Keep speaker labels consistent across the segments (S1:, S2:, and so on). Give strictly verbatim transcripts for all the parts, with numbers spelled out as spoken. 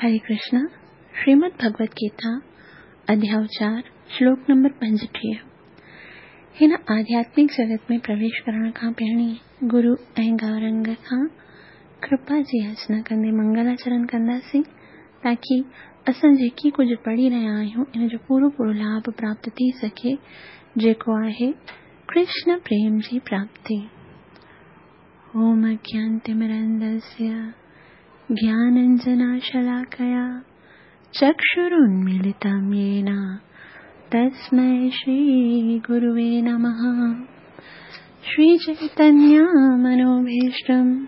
S1: हरे कृष्णा। श्रीमद् भगवत गीता अध्याय चार श्लोक नंबर पंजटीह। हिन आध्यात्मिक जगत में प्रवेश करण खां पहिरीं गुरु ऐं गौरंग खां कृपा जी याचना कंदे मंगलाचरण कंदासीं ताकी असां जेकी कुझु पढ़ी रहिया आहियूं इन जो पूरो पूरो लाभ प्राप्त थी सघे, जेको आहे कृष्ण प्रेम जी प्राप्ति। ओम अज्ञानतिमिरन्धस्य ज्ञानाञ्जनशलाकया चक्षुरुन्मीलितं येन तस्मै श्रीगुरुवे नमः। श्रीचैतन्यमनोभीष्टं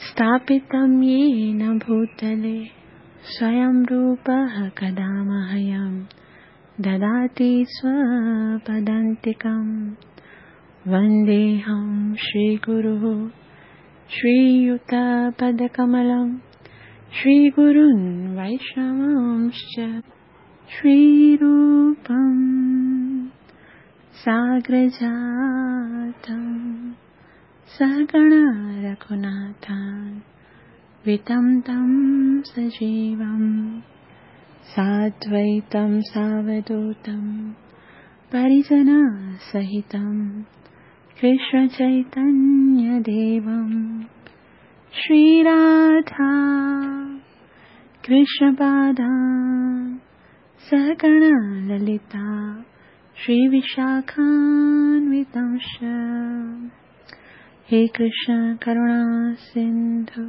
S1: स्थापितं येन भूतले स्वयं रूपः कदा मह्यं ददाति स्वपदान्तिकं। वन्देऽहं श्रीगुरुः श्रीयुतपदकमलं श्रीगुरुन् वैष्णवांश्च श्रीरूपं साग्रजातं सहगण रघुनाथान्वितं तं सजीवं साद्वैतं सावधूतं परिजनसहितं कृष्णचैतन्यदेवं श्रीराधा कृष्णपादान् सहगण ललिता श्रीविशाखान्वितांश्च। हे कृष्ण करुणा सिन्धु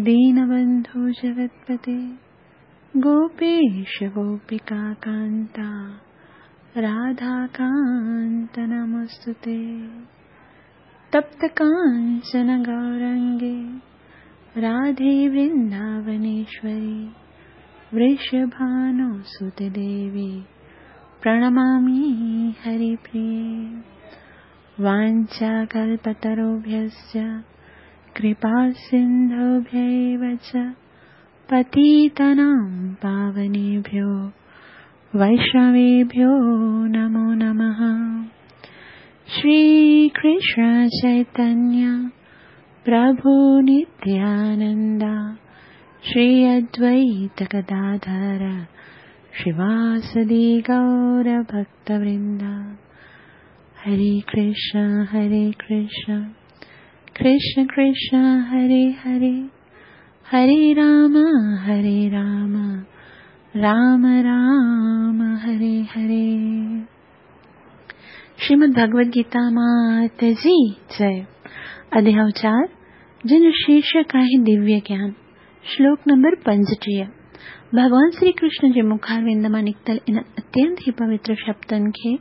S1: दीनबन्धु जगत्पते गोपेश गोपिका कान्ता राधाकान्त नमोस्तुते। तप्त कांचन गौरंगे राधे वृंदावनेश्वरी वृषभानुसुते देवी प्रणमामि हरिप्रिये। वाञ्छाकल्पतरुभ्यश्च कृपासिन्धुभ्यैव च पतितानां पावनेभ्यो वैष्णवेभ्यो नमो नमः। श्री कृष्ण चैतन्य प्रभु नित्यानंद श्री अद्वैत गदाधर श्रीवासदि गौर भक्तवृंद। हरे कृष्ण हरे कृष्ण कृष्ण कृष्ण हरे हरे, हरे राम हरे राम राम राम हरे हरे। श्रीमद् भगवद गीता मात जी जय। अध्याय चार जिन शीर्षक आहे दिव्य ज्ञान, श्लोक नंबर पंजटीह। भॻवान श्री कृष्ण जे मुखारविंद मां निकितल इन अत्यंत ई पवित्र शब्दनि खे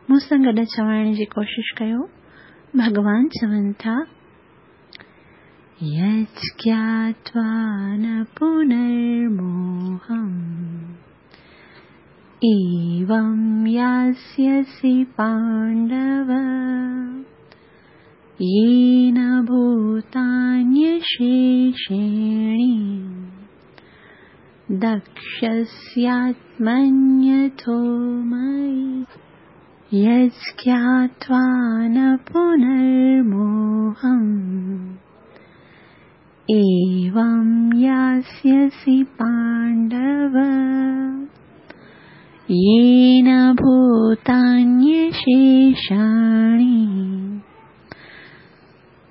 S1: मूं सां गॾु चवाइण जी कोशिश कयो। भॻवान चवनि था, यज्ञात्वा न पुनर्मोहम् एवं यास्यसि पाण्डव येन भूतान्यशेषेणि दक्ष्यस्यात्मन्यथो मयि। यज्ञात्वा न पुनर्मोहम् एवं यास्यसि पाण्डव येन भूतान्यशेषाणि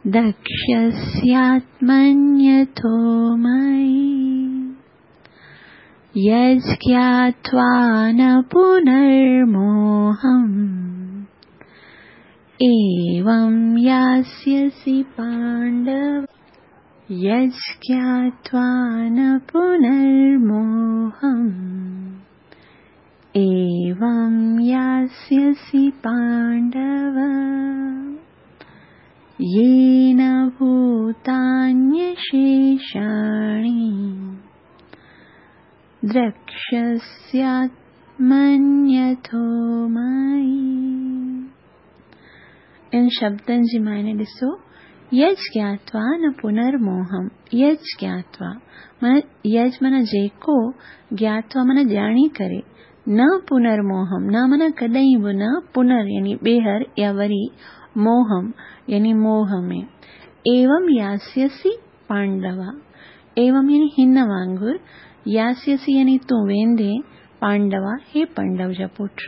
S1: दक्ष्यस्यात्मन्यथो मयि। यज्ञात्वा न पुनर्मोहम् एवं यास्यसि पाण्डव। यज्ञात्वा न पुनर्मोहम् एवं यास्यसि पाण्डव येन भूतान्यशेषाणि द्रक्ष्यस्यात्मन्यथो मयि। इन शब्दनि जी मायने ॾिसो, यज्ञात्वा न पुनर्मोहम्। यज्ञात्वा माना यज माना जेको, ज्ञात्वा माना ॼाणी करे, न पुनर्मोहम न माना कॾहिं बि न, पुनर् यानी ॿीहर या वरी, मोहम यानी मोह में। एवं यास्यसि पांडवा, एवं यानी हिन वांगुरु, यास्यसि यानी तूं वेंदे, पांडवा हे पंडव जा पुट।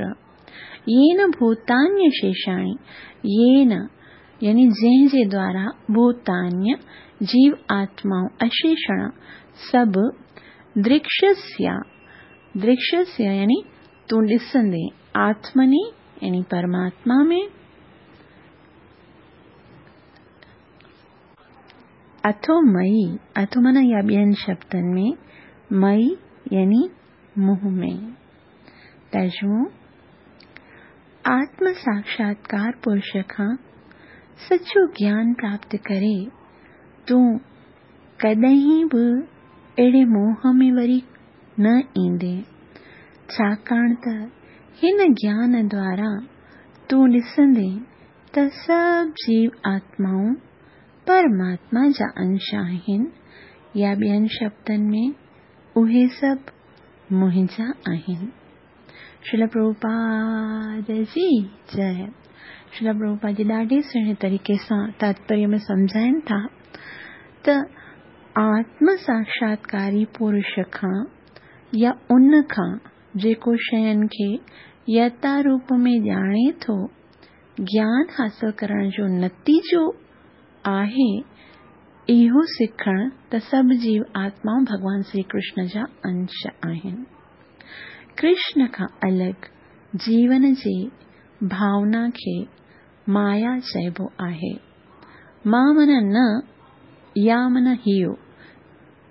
S1: येन भूतान्य शेषाणि, येन यानी जंहिंजे द्वारा भूतान्य जीव आत्माऊं अशेषण सभु दृक्ष्यस्य, दृक्ष्यस्य यानी तूं ॾिसंदे, आत्मनि यानी परमात्मा में, अथो मयि, अथो माना या ॿियनि शब्दनि में, मयि यानी मुंह में। तर्जुमो आत्म साक्षात्कार पुरुष खां सचो ज्ञान प्राप्त करे तूं कॾहिं बि अहिड़े मोह में वरी न ईंदे, छाकाणि त हिन ज्ञान द्वारा तूं ॾिसंदे त सभु जीव आत्माऊं परमात्मा जा अंश आहिनि या ॿियनि शब्दनि में उहे सभु मुंहिंजा आहिनि। श्रील प्रभुपाद जी जय। श्रील प्रभुपाद जी ॾाढे सुहिणे तरीक़े सां तात्पर्य में सम्झाइनि था त आत्म साक्षात्कारी पुरुष खां या उन खां जेको शयुनि खे यथा रूप में ॼाणे थो, ज्ञान हासिल करण जो नतीजो आहे इहो सिखणु त सभु जीव आत्माऊं भॻवान श्री कृष्ण जा अंश आहिनि। कृष्ण खां अलॻि जीवन जी भावना खे माया चइबो आहे। मां माना न या माना हियो,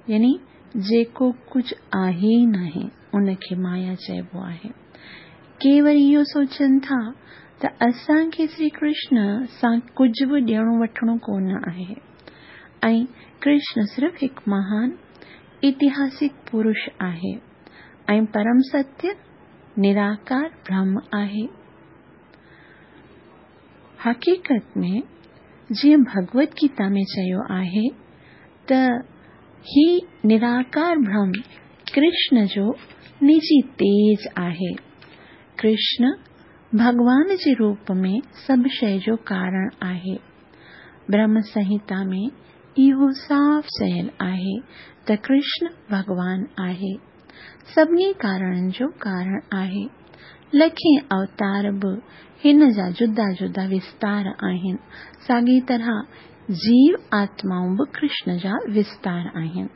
S1: यानी जेको कुझु आहे ई नाहे उनखे माया चइबो आहे। के वरी इहो सोचनि था त असांखे श्री कृष्ण सां कुझु बि ॾियणो वठिणो कोन आहे ऐं कृष्ण सिर्फ़ हिकु महान ऐतिहासिक पुरुष आहे ऐं परम सत्य निराकार ब्रह्म आहे। हक़ीक़त में जीअं भगवत गीता में चयो आहे त ही निराकार ब्रह्म कृष्ण जो निजी तेज आहे। कृष्ण भॻवान जे रूप में सभु शइ जो कारण आहे। ब्रह्म संहिता में इहो साफ़ चयल आहे त कृष्ण भॻवान आहे, सभिनी कारणनि जो कारण आहे। लखें अवतार बि हिन जा जुदा जुदा विस्तार आहिनि। साॻी तरह जीव आत्माऊं बि कृष्ण जा विस्तार आहिनि।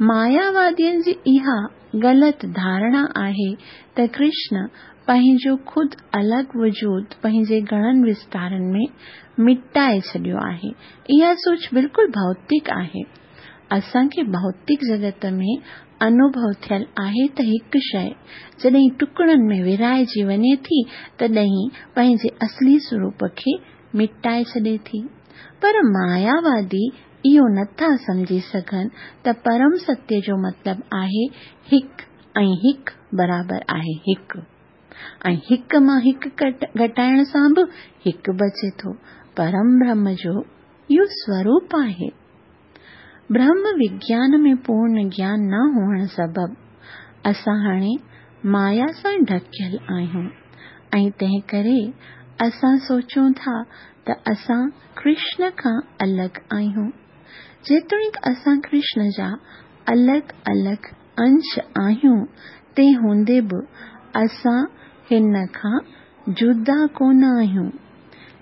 S1: मायावादियुनि जी इहा ग़लति धारणा आहे त कृष्ण पंहिंजो ख़ुदि अलॻि वजूद पंहिंजे घणनि विस्तारनि में मिटाए छॾियो आहे। इहा सोच बिल्कुलु भौतिक आहे। असांखे भौतिक जगत में अनुभव थियल आहे त हिकु शइ जॾहिं टुकड़नि में विराइजी वञे थी तॾहिं पंहिंजे असली स्वरूप खे मिटाए छॾे थी। पर मायावादी इहो नथा सम्झी सघनि त परम सत्य जो मतिलबु आहे हिकु ऐं हिकु बराबरि आहे हिकु, ऐं हिकु मां हिकु घटाइण सां बि हिकु बचे थो। परम ब्रह्म जो इहो स्वरूप आहे। ब्रह्म विज्ञान में पूर्ण ज्ञान न हुअण सबबु असां हाणे माया सां ढकियल आहियूं ऐं तंहिं करे असां सोचूं था त असां कृष्ण खां अलॻि आहियूं। जेतोणीकि असां कृष्ण जा अलॻि अलॻि अंश आहियूं, तंहिं हूंदे बि असां हिन खां जुदा कोन आहियूं।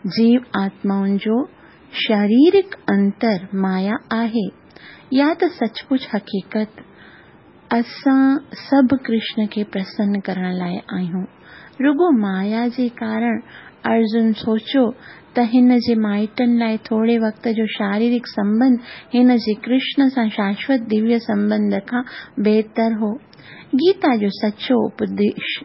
S1: जीव आत्माउनि जो शारीरिक अंतर माया आहे या त सचमुच हक़ीक़त असां सभु कृष्ण खे प्रसन्न करण लाइ आहियूं। रुगो माया जे कारण अर्जुन सोचियो त हिन जे माइटनि लाइ थोरे वक़्त जो शारीरिक संबंध हिन जे कृष्ण सां शाश्वत दिव्य संबंध खां बहितर हो। गीता जो सचो उपदेश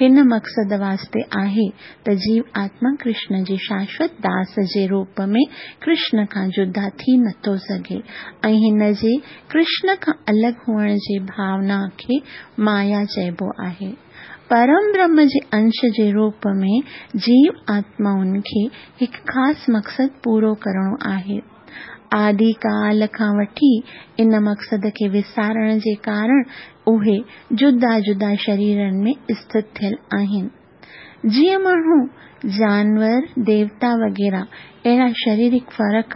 S1: हिन मक़सद वास्ते आहे त जीव आत्मा कृष्ण जे शाश्वत दास जे रूप में कृष्ण खां जुदा थी नथो सघे ऐं हिन जे कृष्ण खां अलॻि हुअण जे भावना खे माया चइबो आहे। परम ब्रह्म जे अंश जे रूप में जीव आत्माउनि खे हिकु ख़ासि मक़सदु पूरो करिणो आहे। आदिकाल खां वठी इन मक़सद खे विसारण जे कारण उहे जुदा जुदा शरीरनि में स्थित थियल आहिनि। جيئن ماڻهو، جانور، ديوتا وغيره اهڙا شاريرڪ فرق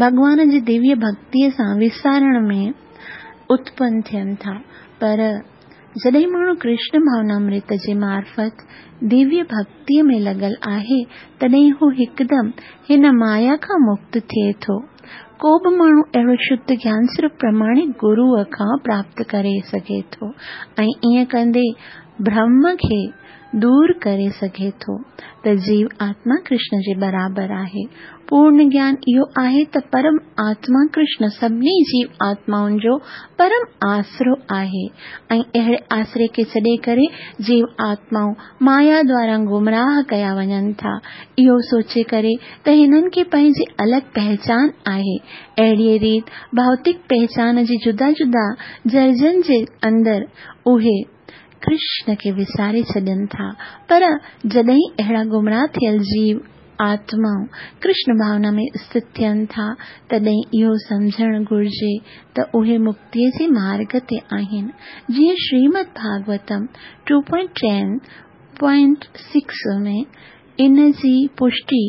S1: ڀڳوان جي دويه ڀڳتيءَ سان وسارڻ ۾ اتپن ٿين ٿا، پر جڏهن ماڻهو ڪرشن ڀاونامرت جي معرفت دويه ڀڳتيءَ ۾ لڳل آهي، تڏهن هو هڪدم هن مايا کان مڪت ٿئي ٿو. ڪو به ماڻهو اهڙو شڌ گيان صرف پرماڻڪ گروءَ کان پراپت ڪري سگهي ٿو ۽ ائين ڪندي ڀرم کي دور ڪري سگهي ٿو ته جيو آتما ڪرشن جي برابر آهي. پورڻ گيان اهو آهي ته پرم آتما ڪرشن سڀني جيو آتمائن جو پرم آسرو آهي ۽ اهڙي آسري کي ڇڏي ڪري جيو آتمائون مايا دوارا گمراهه ڪيا وڃن ٿا، اهو سوچي ڪري ته هنن کي پنهنجي الڳ پهچان آهي. اهڙيءَ ريت ڀوتڪ پهچان جي جدا جدا درجن جي اندر اهي ڪرشن کي وساري ڇڏن ٿا، پر جڏهن اهڙا گمراهه ٿيل جيو آتمائون ڪرشن ڀاونا ۾ اسٿت ٿين ٿا، تڏهن اهو سمجهڻ گهرجي ته اهي مڪتيءَ جي مارگ تي آهن. جيئن Shrimad Bhagavatam two point ten point six ۾ ان جي پشٽي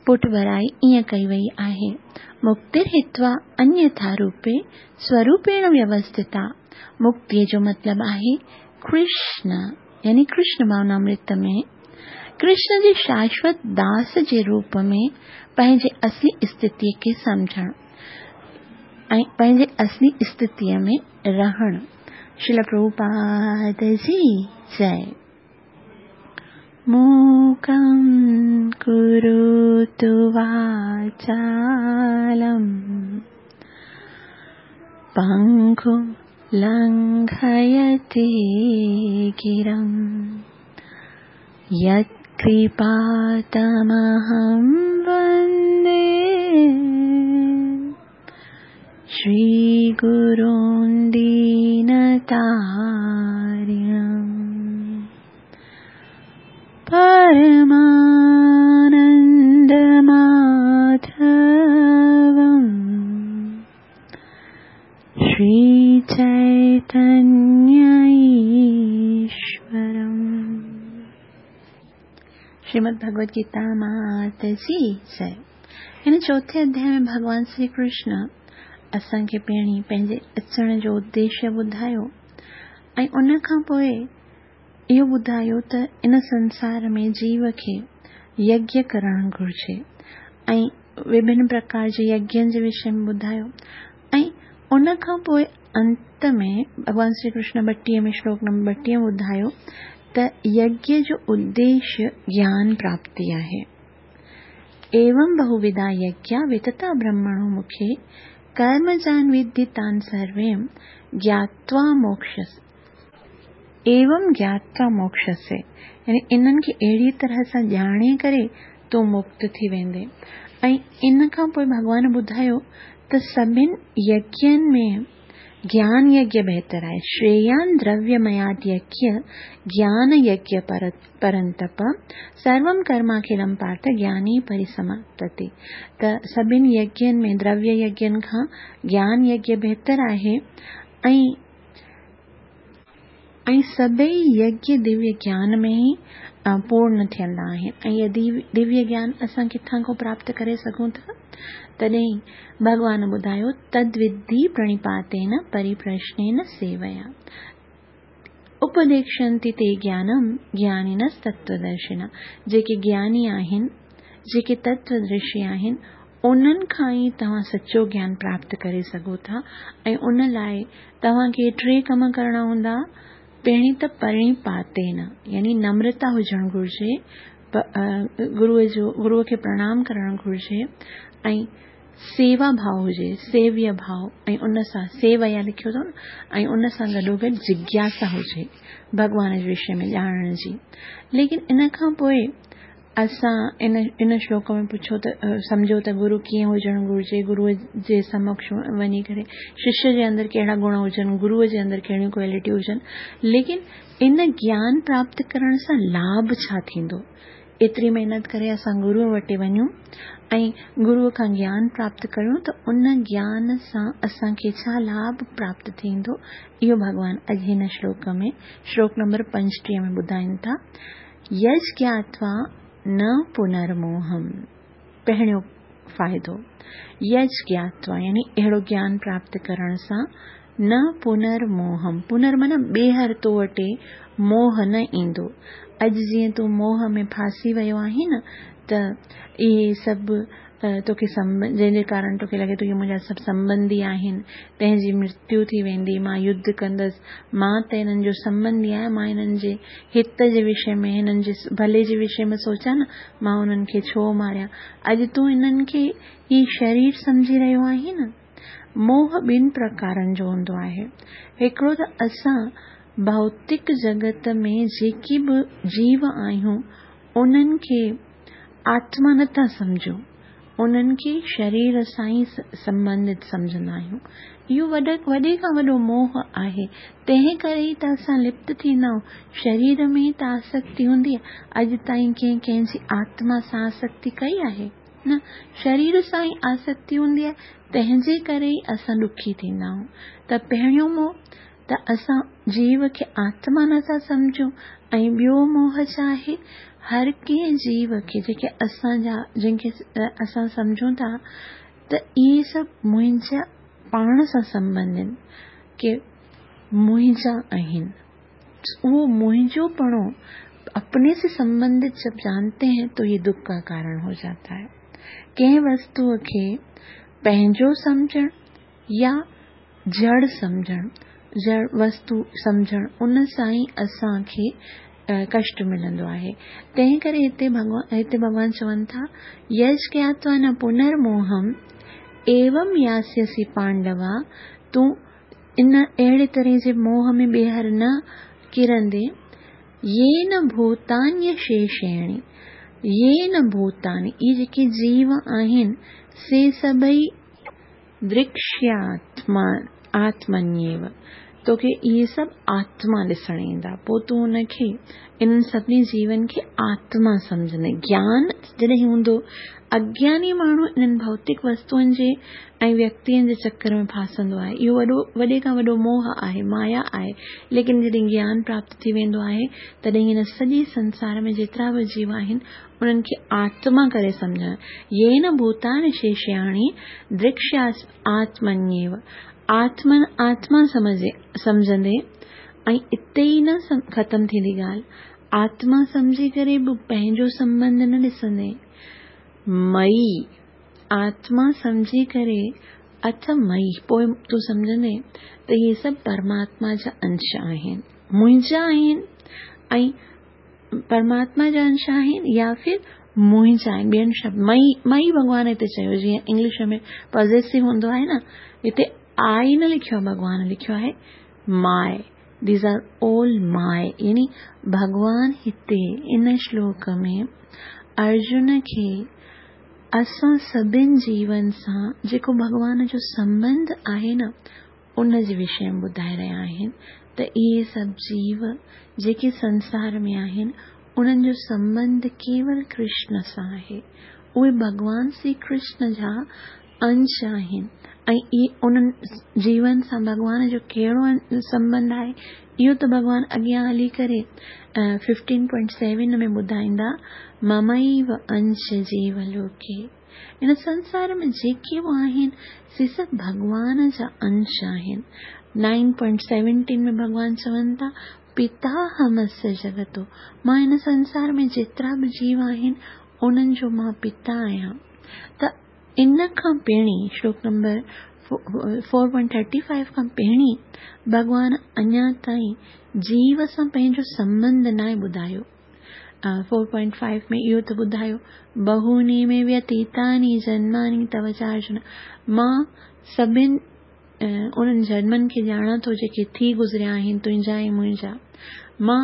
S1: پٺڀرائي ائين ڪئي وئي آهي: مڪتير هتوا انيٿا روپي سوروپيڻ ويوسٿتا. مڪتيءَ جو مطلب آهي ڪرشن، يعني ڪرشن ڀاونامرت ۾ ڪرشن جي شاشوت داس جي روپ ۾ پنهنجي اصلي اسٿتيءَ کي سمجهڻ ۽ پنهنجي اصلي اسٿتيءَ ۾ رهڻ. شريل پرڀوپاد جي جئي. موڪم ڪروتु واچالم پنگم لنگهيتي گرم यत्कृपातमहं वन्दे श्रीगुरुं दीनतारिणम् परमानन्दमाधवम् श्रीचैतन्यईश्वरम्. श्रीमद् भगवद गीता मात जी जय. हिन चोथे अध्याय में भॻवान श्री कृष्ण असांखे पहिरीं पंहिंजे अचण जो उद्देश्य ॿुधायो ऐं उन खां पोइ इहो ॿुधायो त इन संसार में जीव खे यज्ञ करणु घुरिजे ऐं विभिन्न प्रकार जे यज्ञनि जे विषय में ॿुधायो ऐं उन खां पोइ अंत में भॻवान श्री कृष्ण ॿटीह में श्लोक नंबर ॿटीह ॿुधायो त यज्ञ जो उद्देश्य ज्ञान प्राप्ति आहे. एवं बहुविधा यज्ञा वितता ब्रह्मणो मुखे कर्मजान विद्धि तान् सर्वें ज्ञात्वा मोक्षस्य. एवं ज्ञात्वा मोक्षस्य यानी इन्हनि खे अहिड़ी तरह सां ॼाणे करे तूं मुक्त थी वेंदे. ऐं इन खां पोइ भॻवान ॿुधायो त सभिनि यज्ञनि में ज्ञान यज्ञ बहितर आहे. श्रेयान द्रव्यमयात् यज्ञ ज्ञान यज्ञ परंतप सर्वं कर्माखिलं पार्थ ज्ञानी परिसमाप्तते. त सभिनि यज्ञनि में द्रव्य यज्ञनि खां ज्ञान यज्ञ बहितर आहे ऐं ऐं सभई यज्ञ दिव्य ज्ञान में ई पूर्ण थियंदा आहिनि. ऐं इहो दिव्य ज्ञान असां किथां खां प्राप्त करे सघूं था? तॾहिं भॻवान ॿुधायो तद्विद्धि प्रणिपातेन परिप्रश्नेन सेवया उपदेक्षन्ति ते ज्ञानम ज्ञानिनस्तत्त्वदर्शिनः. जेके ज्ञानी आहिनि, जेके तत्वदर्शी आहिनि, उन्हनि खां ई तव्हां सचो ज्ञान प्राप्त करे सघो था. ऐं उन लाइ तव्हांखे टे कम करणा हूंदा. पहिरीं त प्रणिपातेन यानी नम्रता हुजणु घुरिजे, गुरूअ जो गुरूअ खे प्रणाम करणु घुरिजे ऐं सेवा भाव हुजे, सेव्य भाव ऐं उन सां सेवया लिखियो अथव न, ऐं उन सां गॾोगॾु जिज्ञासा हुजे भॻवान जे विषय में ॼाणण जी. लेकिन इन खां पोइ असां इन इन श्लोक में पुछो त सम्झो त गुरू कीअं हुजणु घुरिजे, गुरूअ जे समक्ष वञी करे शिष्य जे अंदरि कहिड़ा गुण हुजनि, गुरूअ जे अंदरि कहिड़ियूं क्वालिटी हुजनि. लेकिन इन ज्ञान प्राप्त करण सां लाभ छा थींदो? एतिरी महिनत करे असां गुरूअ वटि वञूं ऐं गुरूअ खां ज्ञान प्राप्त करियूं त उन ज्ञान सां असांखे छा लाभ प्राप्त थींदो? इहो भॻवान अॼु हिन श्लोक में श्लोक नंबर पंजटीह में ॿुधाइनि था. यज ज्ञात्वा न पुनर्मोहम। पहिरियों फ़ाइदो यज ज्ञात्वा यानी अहिड़ो ज्ञान प्राप्त करण सां न पुनर्मोहम। पुनर् माना ॿीहर तो वटि मोह न ईंदो। अॼु जीअं तूं मोह में फासी वियो आहीं न, त इहे सभु तोखे जंहिंजे कारण तोखे लॻे थो इहे मुंहिंजा सभु संबंधी आहिनि, तंहिंजी मृत्यु थी वेंदी, मां युद्ध कंदसि, मां त हिननि जो संबंधी आहियां, मां हिननि जे हित जे विषय में, हिननि जे भले जे विषय में सोचां न, मां उन्हनि खे छो मारियां। अॼु तूं हिननि खे ही शरीर सम्झी रहियो आहीं न। मोह ॿिनि प्रकारनि जो हूंदो आहे। हिकिड़ो त असां भौतिक जगत में जेके बि जीव आहियूं उन्हनि खे आत्मा नथा सम्झूं, उन्हनि खे शरीर सां ई संबंधित सम्झंदा आहियूं। इहो वॾे वॾे खां वॾो मोह आहे। तंहिं करे ई त असां लिप्त थींदा आहियूं। शरीर में त आसक्ति हूंदी आहे। अॼु ताईं कंहिं कंहिंजी आत्मा सां आसक्ति कई आहे न, शरीर सां ई आसक्ति हूंदी आहे, तंहिंजे करे ई असां ॾुखी थींदा आहियूं। त पहिरियों मोह त असां जीव खे आत्मा नथा सम्झूं, ऐं ॿियो मोह छा आहे, हर कंहिं जीव खे जेके असांजा जंहिंखे असां सम्झूं था त इहे सभु मुंहिंजा पाण सां संबंध आहिनि, की मुंहिंजा आहिनि। उहो मुंहिंजो पणो अपने से संबंधित जब जानते हैं तो ये दुख का कारण हो जाता है। कंहिं वस्तूअ खे पंहिंजो सम्झणु या जड़ सम्झणु, जड़ वस्तु सम्झणु, उन सां ई असांखे कष्ट मिलंदो आहे। तंहिं करे हिते भॻवान हिते भॻवान चवनि था, यज ज्ञात्वा न पुनर्मोहम एवं यास्यसि पांडवा, तूं इन अहिड़े तरह जे मोह में ॿीहर न किरंदे। येन भूतान्यशेषेण, येन भूतानि, इहे जेके जीव आहिनि से सभई दृक्ष्यात्मा आत्मन्येव, तोखे इहे सभु आत्मा ॾिसण ईंदा। पोइ तूं हुनखे इन्हनि सभिनी जीवनि खे आत्मा सम्झंदे। ज्ञान जॾहिं हूंदो, अज्ञानी माण्हू इन्हनि भौतिक वस्तुअनि जे ऐं व्यक्तियुनि जे चक्कर में फासंदो आहे। इहो वॾो वॾे खां वॾो मोह आहे, माया आहे। लेकिन जॾहिं ज्ञान प्राप्त थी वेंदो आहे तॾहिं हिन सॼे संसार में जेतिरा बि जीव आहिनि उन्हनि खे आत्मा करे सम्झणु। येन भूतानि शेष्याणि दृक्ष्या आत्मन्येव, आत्मन आत्मा सम्झे सम्झंदे ऐं इते ई न ख़तमु थींदी ॻाल्हि। आत्मा सम्झी करे बि पंहिंजो संबंध न ॾिसंदे। मई आत्मा सम्झी करे अथ मई, पोइ तूं सम्झंदे त इहे सभु परमात्मा जा अंश आहिनि, मुंहिंजा आहिनि ऐं परमात्मा जा अंश आहिनि या फिर मुंहिंजा आहिनि। ॿियनि शब्द मई मई भॻवान हिते चयो, जीअं इंग्लिश में पॉज़ेसिव हूंदो आहे न, हिते आई न लिखियो आहे, भॻवान लिखियो आहे my, these are all my. यानी भॻवान हिते इन श्लोक में अर्जुन खे असां सभिनि जीवन सां जेको भॻवान जो संबंध आहे न, उन जे विषय में ॿुधाए रहिया आहिनि त इहे सभु जीव जेके संसार में आहिनि उन्हनि जो संबंध केवल कृष्ण सां आहे। उहे भॻवान श्री कृष्ण जा अंश आहिनि ऐं इहे उन्हनि जीवन सां भॻवान जो कहिड़ो संबंध आहे इहो त भॻवान अॻियां हली करे फिफ्टीन पॉइंट सेवन में ॿुधाईंदा, ममैव अंश जीव लोके। इन संसार में जेके बि आहिनि से सभु भॻवान जा अंश आहिनि। नाइन पॉइंट सेवनटीन में भॻवान चवनि था, पिताहमस्य जगतो, मां हिन संसार में जेतिरा बि जीव आहिनि उन्हनि जो मां पिता आहियां। त इन खां पहिरीं श्लोक number four point thirty five खां पहिरीं भॻवान अञा ताईं जीव सां पंहिंजो संबंध नाहे ॿुधायो। फोर पॉइंट फाइव में इहो त ॿुधायो, बहूनि में व्यतीतानि जन्मानि तव चार्जुन, मां सभिनि उन्हनि जन्मनि खे ॼाणां थो जेके थी गुज़रिया आहिनि तुंहिंजा ऐं मुंहिंजा। मां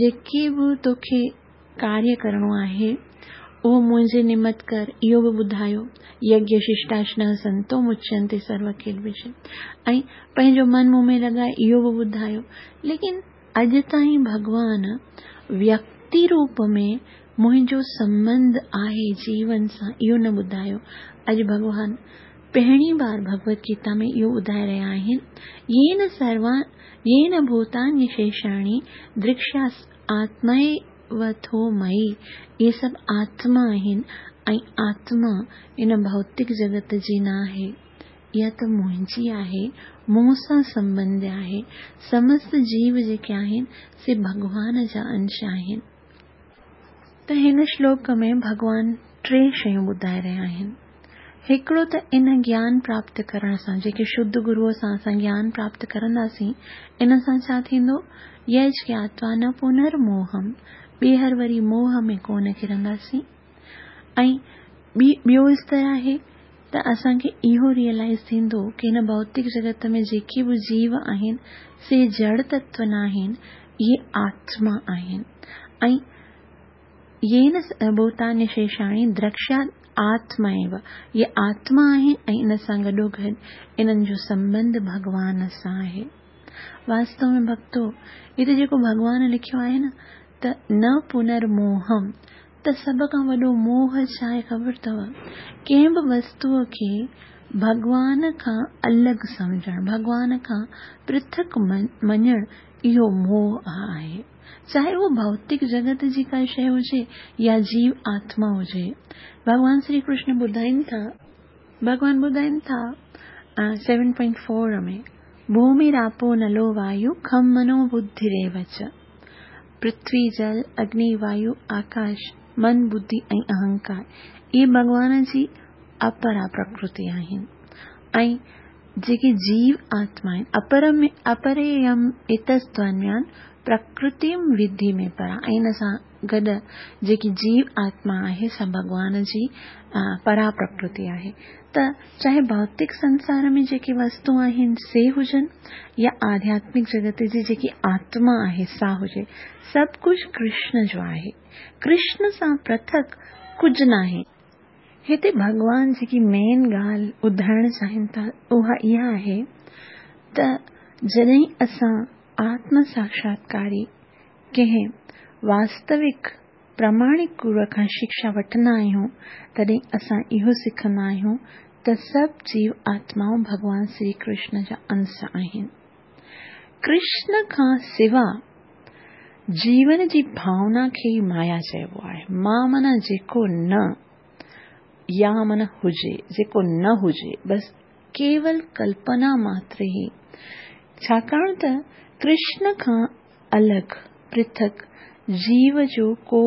S1: जेके बि तोखे कार्य करिणो आहे उहो मुंहिंजे निमत कर, इहो बि ॿुधायो। यज्ञ शिष्टाश्न संतो मुच्यन्ते सर्व किल्बिषम्, ऐं पंहिंजो मन मूं में लॻाए, इहो बि ॿुधायो। लेकिन अॼु ताईं भॻवान व्यक्ति रूप में मुंहिंजो संबंध आहे जीवन सां, इहो न ॿुधायो। अॼु भॻवान पहिरीं बार भगवत गीता में इहो ॿुधाए रहिया आहिनि, येन सर्वा येन भूतानि शेषाणि दृक्ष्यास आत्मय ٿو مئي، اهي سڀ آتما آهن ۽ آتما ان ڀوتڪ جڳت جي نه آهي، اها ته منهنجي آهي، مون سان سنٻنڌ آهي. سمست جيو جيڪي آهن سي ڀڳوان جا انش آهن. ته هن شلوڪ ۾ ڀڳوان ٽي شيون ٻڌائي رهيا آهن. هڪڙو ته ان گيان پراپت ڪرڻ سان، جيڪي شڌ گروء سان اسان گيان پراپت ڪرنداسين، ان سان ڇا ٿيندو؟ يج گياتوا نه پنرموهم، ٻيهر وري موهه ۾ ڪونه ڪرنداسين. ۽ ٻي ٻيو استر آهي ته اسان کي اهو ريئلائيز ٿيندو ڪه هن ڀوتڪ جڳت ۾ جيڪي به جيو آهن سي جڙ تتو نه آهن، اهي آتما آهن. ۽ يين ڀوتانيشيشاڻي درڪشيات آتما ايو، اهي آتما آهن ۽ ان سان گڏوگڏ انهن جو سنٻنڌ ڀڳوان سان آهي. واستو ۾ ڀڳتو، هتي جيڪو ڀڳوان لکيو آهي نه ته نه پنرموهم، ته سڀ کان وڏو موهه ڇا آهي خبر اٿو؟ ڪنهن به وستوءَ کي ڀڳوان کان الڳ سمجهڻ، ڀڳوان کان پرٿڪ مڃڻ، اهو موهه آهي. چاهي اهو ڀوتڪ جڳت جي ڪا شيءِ هجي يا جيو آتما هجي. ڀڳوان شري ڪرشن ٻڌائين ٿا، ڀڳوان ٻڌائين ٿا سيون پوائنٽ فور ۾، ڀوميراپو نلو وايو خم منو ٻڌيريو چ، پرٿوي، جل، اگني، وايو، آڪاش، من، ٻڌي ۽ اهنڪار، اهي ڀڳوان جي اپرا پرڪرتي آهن. ۽ جيڪي جيو آتما آهن، اپر ۾ اپريم اتستوانيان پرڪرتيم وڌي ۾ پرا، ۽ ان سان گڏ جيڪي جيو آتما آهي سا ڀڳوان جي پرا پرڪرتي آهي. ته چاهي ڀوتڪ سنسار ۾ جيڪي وستو آهن سي هجن يا آڌياتمڪ جڳت جي جيڪي آتما آهي سا هجي، سڀ ڪجهه ڪرشن جو آهي. ڪرشن سان پرٿڪ ڪجهه ناهي. هتي ڀڳوان جيڪي مين ڳالهه ٻڌائڻ چاهين ٿا اها اها آهي ته جڏهن اسان آتم ساڪشاتڪاري ڪنهن واستوڪ پراماڻڪ گروءَ کان شڪشا وٺندا آهيون، تڏهن اسان اهو سکندا آهيون ته سڀ جيو آتمائون ڀڳوان شري ڪرشن جا انش آهن. ڪرشن کان سوا جيون جي ڀاونا کي ئي مايا چئبو آهي. مان معنيٰ جيڪو نه، يا معنيٰ هجي، جيڪو نه هجي، بس ڪيول ڪلپنا ماتر ئي. ڇاڪاڻ ته ڪرشن کان الڳ پرٿڪ جيو جو ڪو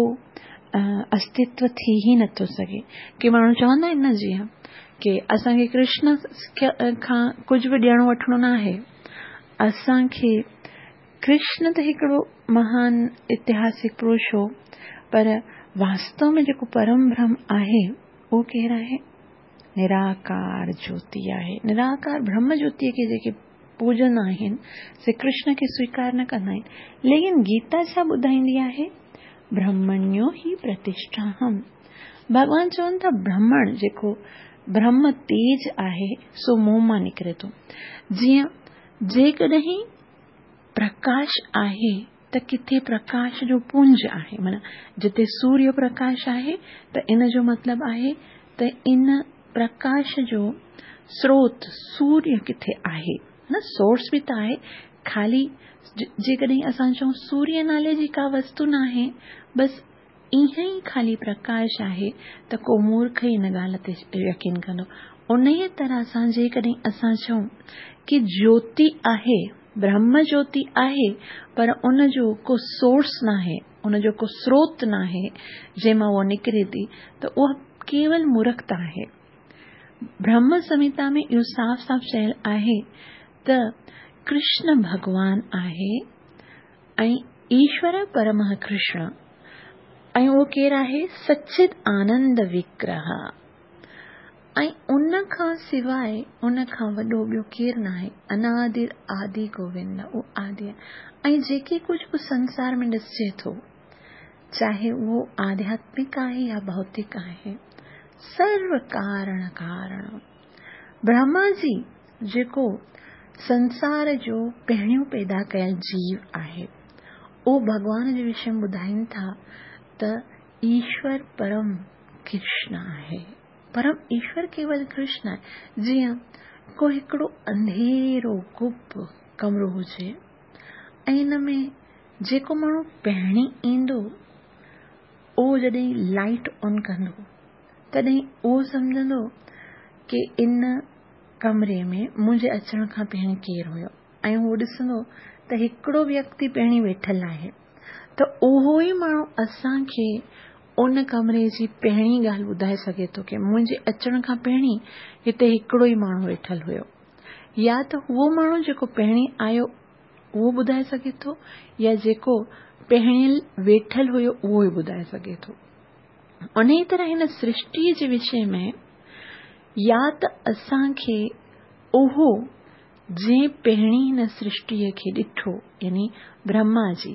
S1: استتو ٿي ئي نٿو سگهي. ڪي ماڻهو چوندا آهن نه جيئن ڪه اسان کي ڪرشن کان ڪجهه به ڏيڻو وٺڻو نه آهي، اسان کي ڪرشن ته هڪڙو مهان اتهاسڪ پرش هو، پر واستو ۾ جيڪو پرم برهم آهي اهو ڪير آهي؟ نراڪار جيوتي آهي. نراڪار برهم جيوتيءَ کي جيڪي پوڄندا آهن سي ڪرشن کي سويڪار نه ڪندا آهن. ليڪن گيتا ڇا ٻڌائيندي آهي؟ برهمڻيو هي پرتشٺاهم. ڀڳوان چون ٿا برهمڻ جيڪو برهم تيج آهي سو مون مان نڪري ٿو. جيئن جيڪڏهن پرڪاش آهي ته ڪٿي پرڪاش جو پنج آهي، معنيٰ جتي سوريه پرڪاش آهي ته ان جو مطلب آهي ته ان پرڪاش جو سروت سوريه ڪٿي آهي نه، سورس به ته آهي. خالي جيڪڏهن اسان چئون سوريه نالي جي ڪا وستو نه آهي، بس ائين ئي خالي پرڪاش آهي ته ڪو مورک ئي ان ڳالهه تي يقين ڪندو. ان ئي طرح سان جيڪڏهن اسان چئون ڪه جيوتي آهي، برهم جيوتي آهي، پر ان جو ڪو سورس نه آهي، ان جو ڪو سروت نه آهي جنهن مان اها نڪري ٿي، ته اها ڪيول مورکتا آهي. برهم سنهتا ۾ اهو صاف صاف چيل آهي ته ڪرشن ڀڳوان آهي ۽ ايشور پرم ڪرشن، ۽ اهو ڪير آهي؟ سچت آنند وگرهه. ۽ ان کان سواءِ ان کان وڏو ٻيو ڪير نه آهي. انادر آدي گووند، اهو آدي آهي. ۽ جيڪي ڪجهه به سنسار ۾ ڏسجي ٿو، چاهي اهو آڌياتمڪ آهي يا ڀوتڪ آهي، سرو ڪارڻ ڪارڻ برهما جي جيڪو سنسار جو پهريون پيدا ڪيل جيو آهي، اهو ڀڳوان جي وشي ۾ ٻڌائين ٿا ته ايشور پرم ڪرشن آهي. پرم ايشور ڪيول ڪرشن آهي. جيئن ڪو هڪڙو انڌيرو گپ ڪمرو هجي ۽ ان ۾ جيڪو ماڻهو پهرين ايندو اهو جڏهن لائيٽ آن ڪندو تڏهن اهو سمجهندو ڪه ان ڪمري ۾ منهنجي اچڻ کان پهرين ڪير هيو ۽ هو ڏسندو ته هڪڙو ويڪتي پهرين ويٺل آهي ته اهو ئي ماڻهو اسان کي ان ڪمري جي پهرين ڳالهه ٻڌائي سگهي ٿو ڪه منهنجي اچڻ کان پهرين هتي هڪڙو ئي ماڻهو ويٺل هيو. يا ته اهو ماڻهو جيڪو پهرين آيو اهو ٻڌائي سگهي ٿو يا جيڪو پهرين ويٺل هيو اهو ئي ٻڌائي سگهي ٿو. انهيء طرح هن سرشٽيء جي وشي ۾ يا ته اسان کي اهو جنهن پهرين هن سرشٽيء کي ڏٺو يعني برهما جي،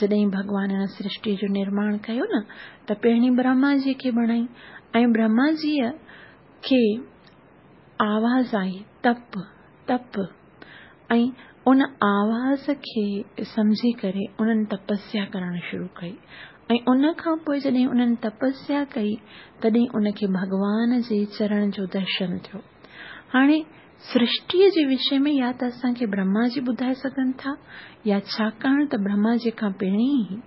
S1: جڏهن ڀڳوان هن سرشٽيء جو نرماڻ ڪيو نه ته پهرين برهما جيء کي بڻائي ۽ برهما جيء کي آواز آئي تپ تپ ۽ ان آواز کي سمجهي ڪري انهن تپسيا ڪرڻ شروع ڪئي ۽ ان کان پوء جڏهن انهن تپسيا ڪئي تڏهن ان کي ڀڳوان جي چرڻ جو درشن ٿيو. هاڻي سرشٽيء جي وشي ۾ يا ته اسان کي برهما جي ٻڌائي سگهن ٿا يا ڇاڪاڻ ته برهما جي کان پهرين ئي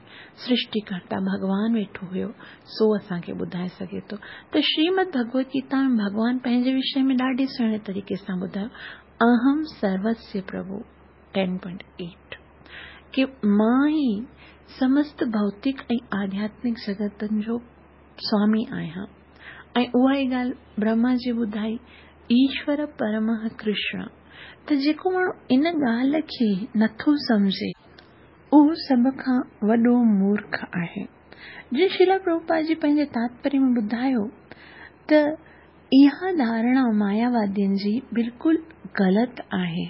S1: سرشٽيڪرتا ڀڳوان ويٺو هيو سو اسان کي ٻڌائي سگهي ٿو. ته شريمد ڀڳوت گيتا ۾ ڀڳوان پنهنجي وشي ۾ ڏاڍي سهڻي طريقي سان ٻڌايو اهم سروسيه پرڀو ٽين پوائنٽ ايٽ ڪي مان ئي سمست ڀوتڪ ۽ آڌياتمڪ جڳتن جو سوامي آهيان ۽ اها ئي ڳالهه برهما جي ٻڌائي ايشور پرمه ڪرشن ته جيڪو ماڻهو ان ڳالهه کي نٿو سمجهي اهو سڀ کان وڏو مورک آهي. جيئن شريلا پرڀوپاد جي پنهنجي تاتپريه ۾ ٻڌايو ته اها ڌارڻا ماياوادين جي بلڪل غلط آهي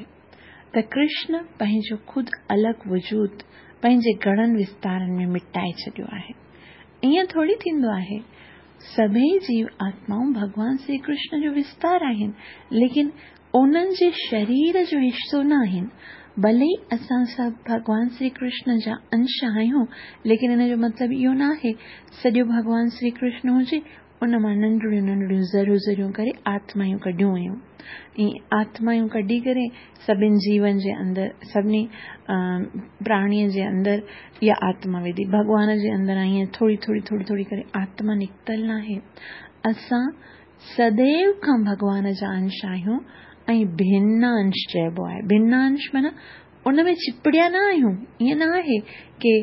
S1: ته ڪرشن پنهنجو خود الڳ وجود پنهنجي گهڻن وستارن ۾ مٽائي ڇڏيو آهي. ائين ٿوري ٿيندو آهي. سڀئي جيو آتمائون ڀڳوان شري ڪرشن جو وستار آهن، ليڪن انهن جي شرير جو حصو نه آهن. ڀلي ئي اسان سڀ ڀڳوان شري ڪرشن جا انش آهيون، ليڪن ان جو مطلب اهو نه آهي سڄو ڀڳوان شري ڪرشن هجي، ان مان ننڍڙيون ننڍڙيون ذريون ذريون ڪري آتمايون ڪڍيون ويون. ائين آتمايون ڪڍي ڪري سڀني جيون جي اندر، سڀني پراڻيء جي اندر اها آتما وڌي. ڀڳوان جي اندر ائين ٿوري ٿوري ٿوري ٿوري ڪري آتما نڪتل ناهي. اسان سديو کان ڀڳوان جا انش آهيون ۽ ڀن انش چئبو آهي. ڀن انش معنيٰ ان ۾ چپڙيا نه آهيون. ائين نه آهي ڪي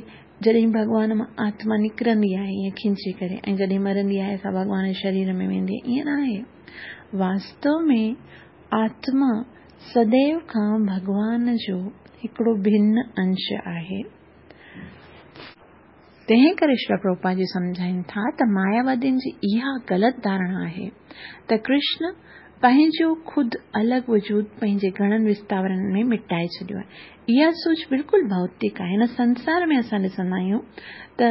S1: جڏهن ڀڳوان مان آتما نڪرندي آهي ائين کينچي ڪري ۽ جڏهن مرندي آهي سا ڀڳوان جي شرير ۾ ويندي آهي، ائين نه آهي. واستو ۾ آتما سديو کان ڀڳوان جو هڪڙو ڀن انش آهي. تنهن ڪري شريلا پرڀوپاد جي سمجهائين ٿا ته ماياوادين جي اها غلط ڌارڻا آهي ته ڪرشن پنهنجو خود الڳ وجود پنهنجي گهڻن وستارن ۾ مٽائي ڇڏيو آهي. اها سوچ بلڪل ڀوتڪ آهي. هن سنسار ۾ اسان ڏسندا آهيون ته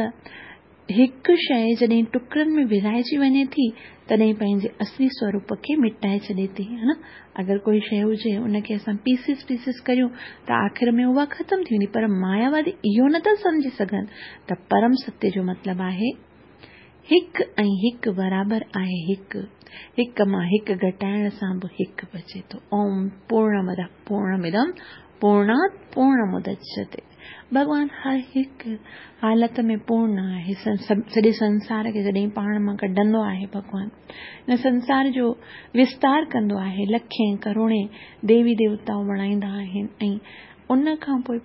S1: هڪ شيء جڏهن ٽڪرن ۾ ورهائجي وڃي ٿي تڏهن پنهنجي اصلي سوروپ کي مٽائي ڇڏي ٿي، ها نه؟ اگر ڪوئي شيء هجي ان کي اسان پيسز پيسز ڪريون ته آخر ۾ اها ختم ٿي ويندي، پر ماياوادي اهو نٿا سمجهي سگهن ته پرم ستيه جو مطلب آهي هڪ ۽ هڪ برابر آهي هڪ، هڪ مان هڪ گهٽائڻ سان به هڪ بچي ٿو. اوم پورڻمدः پورڻمدم پورڻات پورڻمدچيتي. ڀڳوان هر هڪ حالت ۾ پورڻ آهي. سڄي سنسار کي جڏهن پاڻ مان ڪڍندو آهي ڀڳوان، هن سنسار جو وستار ڪندو آهي، لکين ڪروڙين ديوي ديوتائون بڻائيندا آهن ۽ ان کان پوء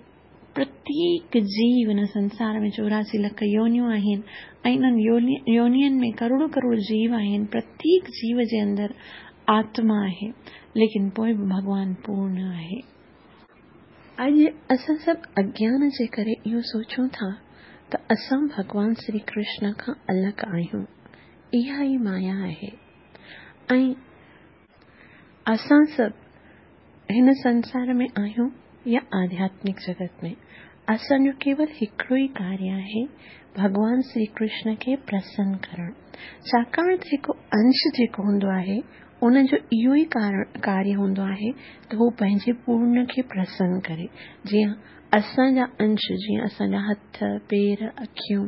S1: پرتيڪ جيو هن سنسار ۾ چوراسي لک يونيون آهن ۽ انهن يونين ۾ ڪروڙون ڪروڙ جيو آهن. پرتيڪ جيو جي اندر آتما آهي، ليڪن پوء به ڀڳوان پورڻ آهي. اڄ اسان سڀ اگيان جي ڪري اهو سوچون ٿا ته اسان ڀڳوان شري ڪرشن کان الڳ آهيون. اها ئي مايا آهي ۽ اسان سڀ هن سنسار ۾ آهيون يا آڌياتمڪ جڳت ۾، اسان جو ڪيول هڪڙو ئي ڪاريه آهي، ڀڳوان شري ڪرشن کي پرسن ڪرڻ. ڇاڪاڻ ته هڪ انش جيڪو هوندو آهي ان جو اهو ئي ڪاريه هوندو آهي ته هو پنهنجي پورڻ کي پرسن ڪري. جيئن اسان جا انش، جيئن اسان جا هٿ، پير، اکيون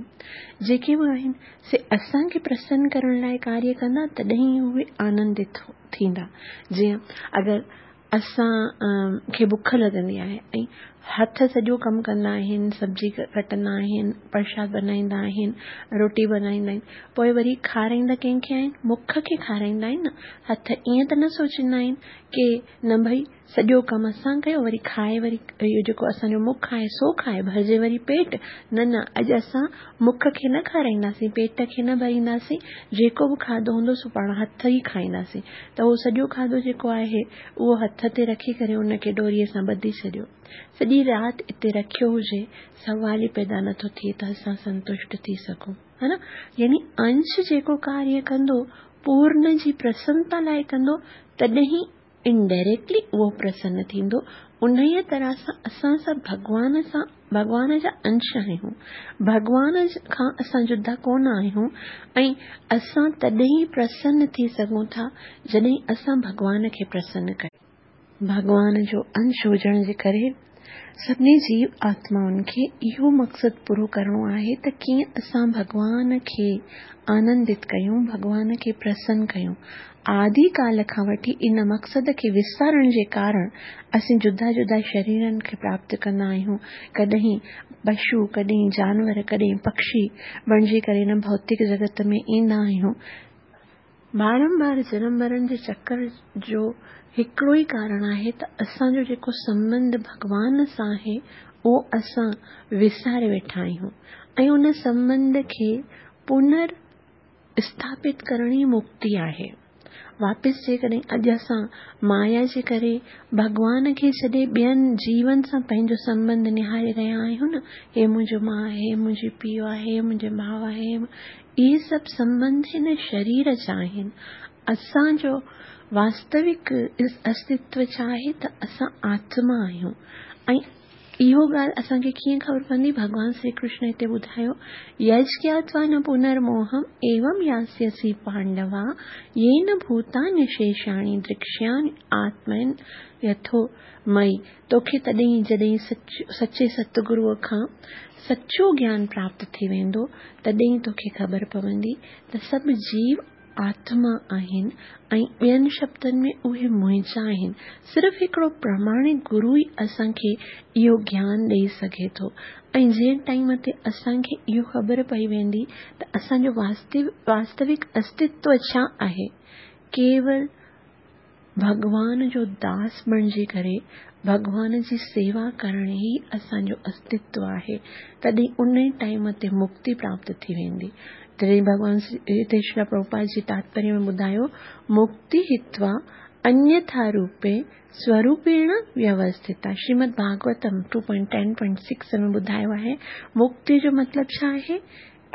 S1: جيڪي به آهن سي اسان کي پرسن ڪرڻ لاء ڪاريه ڪندا تڏهن ئي اهي آنندت ٿيندا. جيئن اگر اسان کي بک لڳندي آهي ۽ هٿ سڄو ڪم ڪندا آهن، سبزي ڪٽندا آهن، پرشاد بنائيندا آهن، روٽي بنائيندا آهن، پوءِ وري کارائيندا ڪنهن کي آهن؟ مک کي کارائيندا آهن نه. هٿ ائين ته نه سوچيندا آهن ڪه نه ڀئي سڄو ڪم اسان ڪيو وري کائي وري اهو جيڪو اسان جو مک آهي سو کائي ڀرجي وري پيٽ. نه نه، اڄ اسان مک کي نه کارائينداسين، پيٽ کي نه ڀرينداسين، جيڪو به کاڌو هوندو سو پاڻ هٿ ئي کائينداسين. ته اهو سڄو کاڌو جيڪو آهي اهو هٿ تي رکي ڪري ان کي ڏوريءَ سان ٻڌي ڇڏيو. سڄي رات اتي رکيو هجي، سوال ئي پيدا نٿو ٿئي ته اسان سنتشٽ ٿي سگهون، ها نه؟ يعني انش جيڪو ڪاريه ڪندو پورن جي پرسنتا لاءِ ڪندو، تڏهن ئي انڊائريڪٽلي اهو پرسن ٿيندو. انهيءَ طرح سان اسان سڀ ڀڳوان سان ڀڳوان جا انش آهيون، ڀڳوان کان اسان جدا ڪونه آهيون ۽ اسان تڏهن ئي پرسن ٿي سگهون ٿا جڏهن اسان ڀڳوان کي پرسن ڪيون. ڀڳوان جو انش هجڻ جي ڪري سڀني جيو آتمائن کي اهو مقصد پورو ڪرڻو آهي ته ڪيئن اسان ڀڳوان کي آنندت ڪيون، ڀڳوان کي پرسن ڪيون. آدي ڪال کان وٺي ان مقصد کي وسارڻ جي ڪارڻ اسين جدا جدا شريرن کي پراپت ڪندا آهيون. ڪڏهن پشو، ڪڏهن جانور، ڪڏهن پکي بڻجي ڪري هن ڀوتڪ جڳت ۾ ايندا آهيون. بارمبار جنم مرڻ جي چڪر جو هڪڙو ئي ڪارڻ آهي ته اسان جو جيڪو سنٻنڌ ڀڳوان سان آهي اهو اسان وساري ويٺا آهيون ۽ ان سنٻنڌ کي پنر اسٿاپت ڪرڻ ئي مڪتي آهي. واپس جيڪڏهن اڄ اسان مايا جي ڪري ڀڳوان کي ڇڏي ٻين جيون سان پنهنجو سنٻنڌ نهاري رهيا آهيون نه، هي منهنجو ماءُ آهي، هي منهنجي پيءُ آهي، هي منهنجو ڀاءُ آهي، اهي سڀ سنٻنڌ هن شرير جا آهن. اسان جو واستوڪ استتو ڇا آهي ته اسان آتما آهيون. ۽ اهو ڳالهه اسان کي ڪيئن خبر پوندي؟ ڀڳوان شري ڪرشن هتي ٻڌايو، يجஞात्वा न पुनर्मोहम् एवं यास्यसि पाण्डवा येन भूतान्यशेषाणि दृक्ष्यामि आत्मन् यथो मयि. तोखे तॾहिं जॾहिं सचे सतगुरूअ खां सचो ज्ञान प्राप्त थी वेंदो तॾहिं तोखे ख़बर पवंदी त सभु जीव आत्मा आहिनि ऐं ॿियनि शब्दनि में उहे मुंहिंजा आहिनि. सिर्फ़ु हिकिड़ो प्रामाणिक गुरू ई असांखे इहो ज्ञान ॾेई सघे थो. ऐं जंहिं टाइम ते असांखे इहो ख़बर पई वेंदी त असांजो वास्तविक अस्तित्व छा आहे, केवल भॻवान जो दास बणिजी करे भॻवान जी सेवा करणु ई असांजो अस्तित्व आहे, तॾहिं उन ई टाइम ते मुक्ति प्राप्त थी वेंदी. तॾहिं भॻवान हिते श्री प्रभुपाद जी तात्पर्य में ॿुधायो, मुक्ति हित्वा अन्यथा रूपे स्वरूपेण व्यवस्थिता. Shrimad Bhagavatam two point ten point six में ॿुधायो आहे, मुक्ति जो मतिलबु छा आहे?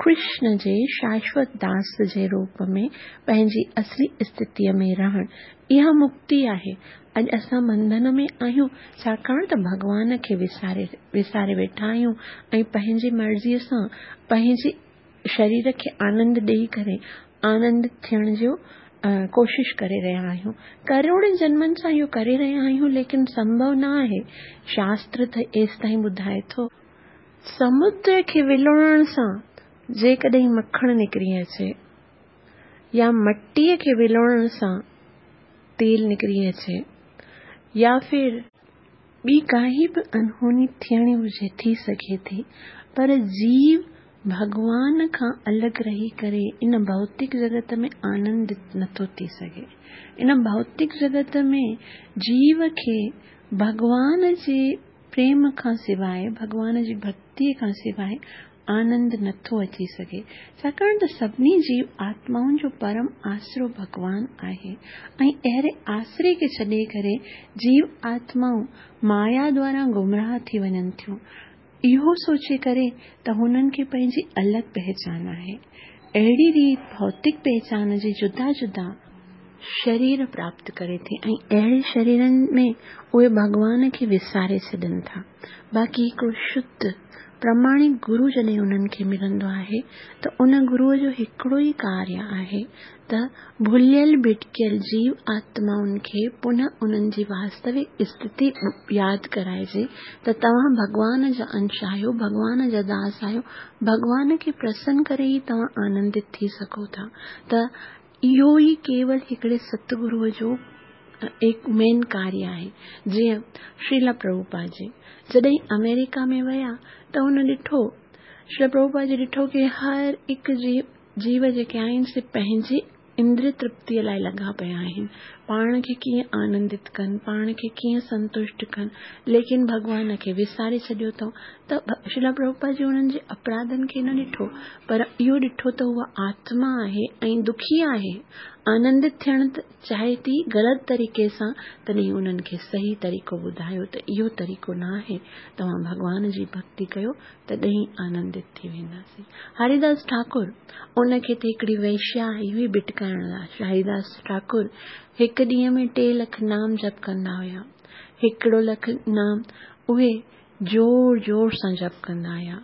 S1: कृष्ण जे शाश्वत दास जे रूप में पंहिंजी असली स्थितीअ में रहणु, इहा मुक्ति आहे. अॼु असां बंधन में आहियूं छाकाणि त भॻवान खे विसारे विसारे वेठा आहियूं ऐं पंहिंजी मर्ज़ीअ सां पंहिंजे शरीर खे आनंद ॾेई करे आनंद थियण जो कोशिश करे रहिया आहियूं. करोड़नि जन्मनि सां इहो करे रहिया आहियूं, लेकिन संभव न आहे. शास्त्र त एसि ताईं ॿुधाए थो, समुद्र खे विलोड़ण सां जेकॾहिं मखण निकिरी अचे या मटीअ खे विलोड़ण सां तेल निकिरी अचे या फिर ॿी काई बि अनहोनी थियणी हुजे, थी सघे थी, पर जीव भॻवान खां अलॻि रही करे इन भौतिक जगत में आनंदित नथो थी सघे. इन भौतिक जगत में जीव खे भॻवान जे प्रेम खां सवाइ, भॻवान जी भक्तीअ खां सवाइ आनंद नथो अची सघे. छाकाणि त सभिनी जीव आत्माउनि जो परम आसरो भॻवान आहे ऐं अहिड़े आसरे खे छॾे करे जीव आत्माऊं माया द्वारा गुमराह थी वञनि थियूं, इहो सोचे करे त हुननि खे पंहिंजी अलॻि पहचान आहे. अहिड़ी रीति भौतिक पहचान जी जुदा जुदा शरीर प्राप्त करे थी ऐं अहिड़े शरीरनि में उहे भॻवान खे विसारे छॾनि था. बाक़ी हिकिड़ो शुद्ध प्रामाणिक गुरू जॾहिं उन्हनि खे मिलंदो आहे त उन गुरूअ जो हिकिड़ो ई कार्य आहे त भुलियल भिटकियल जीव आत्माउनि खे पुनः उन्हनि जी वास्तविक स्थिति यादि कराइजे त तव्हां भॻवान जा अंश आहियो, भॻवान जा दास आहियो, भॻवान खे प्रसन्न करे ई तव्हां आनंदित थी सघो था. त इहो ई केवल हिकिड़े सतगुरूअ जो هڪ مين ڪاريه آهي. جيئن شريلا پرڀوپاد جي جڏهن آمريڪا ۾ ويا ته هن ڏٺو، شريلا پرڀوپاد جي ڏٺو ڪه هر هڪ جيو جيو جيڪي آهن سي پنهنجي اندريه ترپتيءَ لاءِ لڳا پيا آهن، پاڻ کي ڪيئن آنندت ڪن، پاڻ کي ڪيئن سنتشٽ ڪن، ليڪن ڀڳوان کي وساري ڇڏيو اٿئون. ته شريلا پرڀوپاد جي انهن جي اپراڌن کي نه ڏٺو، پر اهو ڏٺو ته اها آتما آهي ۽ دکي آهي، آنندت ٿيڻ چاهي ٿي غلط طريقي سان، تڏهن انهن کي صحيح طريقو ٻڌايو ته اهو طريقو نه آهي، توهان ڀڳوان جي ڀڪتي ڪيو تڏهن آنندت ٿي وينداسين. هريداس ٺاڪر ان کي ته هڪڙي ويشيا آئي هئي ڀٽڪائڻ لاءِ. هريداس ٺاڪر هڪ ڏينهن ۾ ٽي لک نام جپ ڪندا هئا، هڪڙو لک نام اهي زور زور سان جپ ڪندا هئا،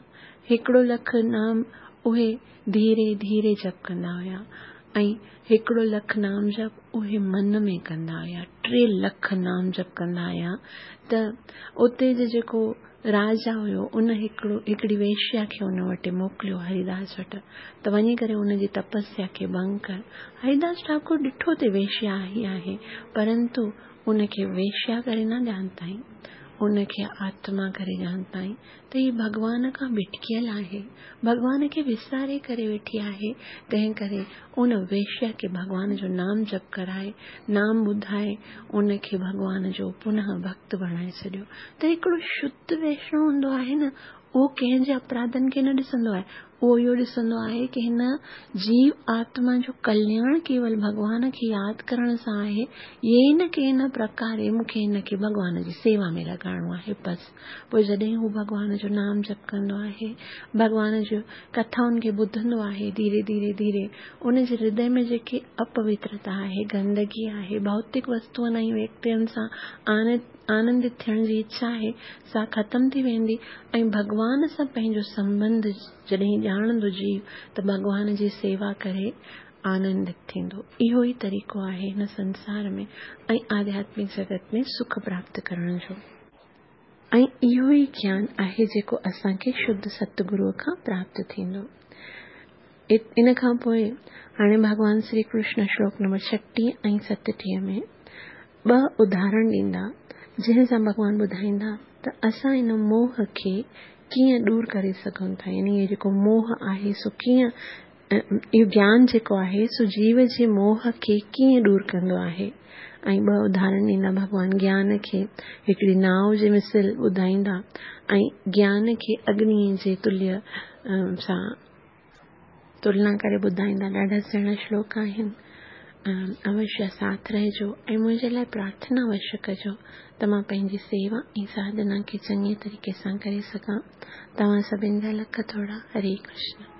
S1: هڪڙو لک نام اهي ڌيري ڌيري جپ ڪندا هئا، ۽ هڪڙو لک نام جپ اهي من ۾ ڪندا هئا. ٽي لک نام جپ ڪندا هئا. ته اتي جي جيڪو راجا هيو ان هڪڙو هڪڙي ويشيا کي ان وٽ موڪليو هريداس وٽ ته وڃي ڪري ان جي تپسيا کي ڀنگ ڪر. هريداس ٺاڪر ڏٺو ته ويشيا آئي آهي، پرنتو ان کي ويشيا ڪري نه ڄاتائين، ان کي آتما ڪري ڄاتائين ته هي ڀڳوان کان ڀٽڪيل آهي، ڀڳوان کي وساري ڪري ويٺي آهي. تنهن ڪري ان ويشيا کي ڀڳوان جو نام جپ ڪرائي، نام ٻڌائي، ان کي ڀڳوان جو پنهه ڀڪت بڻائي ڇڏيو. ته هڪڙو شڌ ويشنو هوندو آهي نه، اهو ڪنهن جي اپراڌن کي نه ڏسندو آهي، اهو اهو ڏسندو آهي ڪه هن جيو آتما جو ڪلياڻ ڪيول ڀڳوان کي ياد ڪرڻ سان آهي، يه نه ڪنهن نه پرڪاري مون کي هن کي ڀڳوان جي سيوا ۾ لڳائڻو آهي. بس پوءِ جڏهن هو ڀڳوان جو نام جپ ڪندو آهي، ڀڳوان جو ڪٿائن کي ٻڌندو آهي، ڌيري ڌيري ڌيري ان جي هردي ۾ جيڪي اپوترتا آهي، گندگي آهي، ڀوتڪ وستوئن ۽ ويڪتين سان آنندت ٿيڻ جي اڇا آهي، سا ختم ٿي ويندي ۽ ڀڳوان سان پنهنجو سنٻنڌ جڏهن ڄاڻندو جيو ته ڀڳوان جي سيوا ڪري آنندت ٿيندو. اهو ئي طريقو آهي هن سنسار ۾ ۽ آڌياتمڪ جڳت ۾ سک پراپت ڪرڻ جو، ۽ اهو ئي گيان آهي جيڪو اسان کي شڌ ستگروءَ کان پراپت ٿيندو. ان کان پوءِ هاڻي ڀڳوان شري ڪرشن شلوڪ نمبر ڇٽيهه ۽ ستٽيهه ۾ ٻه اداهرڻ ڏيندا، جنهن سان ڀڳوان ٻڌائيندا ته اسان ان موهه کي ڪيئن دور ڪري سگهون ٿا، يعني اهو جيڪو موهه آهي سو ڪيئن، اهو گيان جيڪو آهي سو جيو جي موهه کي ڪيئن دور ڪندو آهي. ۽ ٻه اداهرڻ ڏيندا ڀڳوان، گيان کي هڪڙي ناو جي مثل ٻڌائيندا ۽ گيان کي اگنيءَ جي تليه سان تلنا ڪري ٻڌائيندا. ڏاڍا سهڻا شلوڪ آهن. اوشيه ساٿ رهجو ۽ منهنجي لاءِ پرارٿنا اوشيه ڪجو ته مان پنهنجي سيوا ۽ ساڌنا کي چڱي طريقي سان ڪري سگهان. توهان سڀني جا لک ٿورا. هري ڪرشن.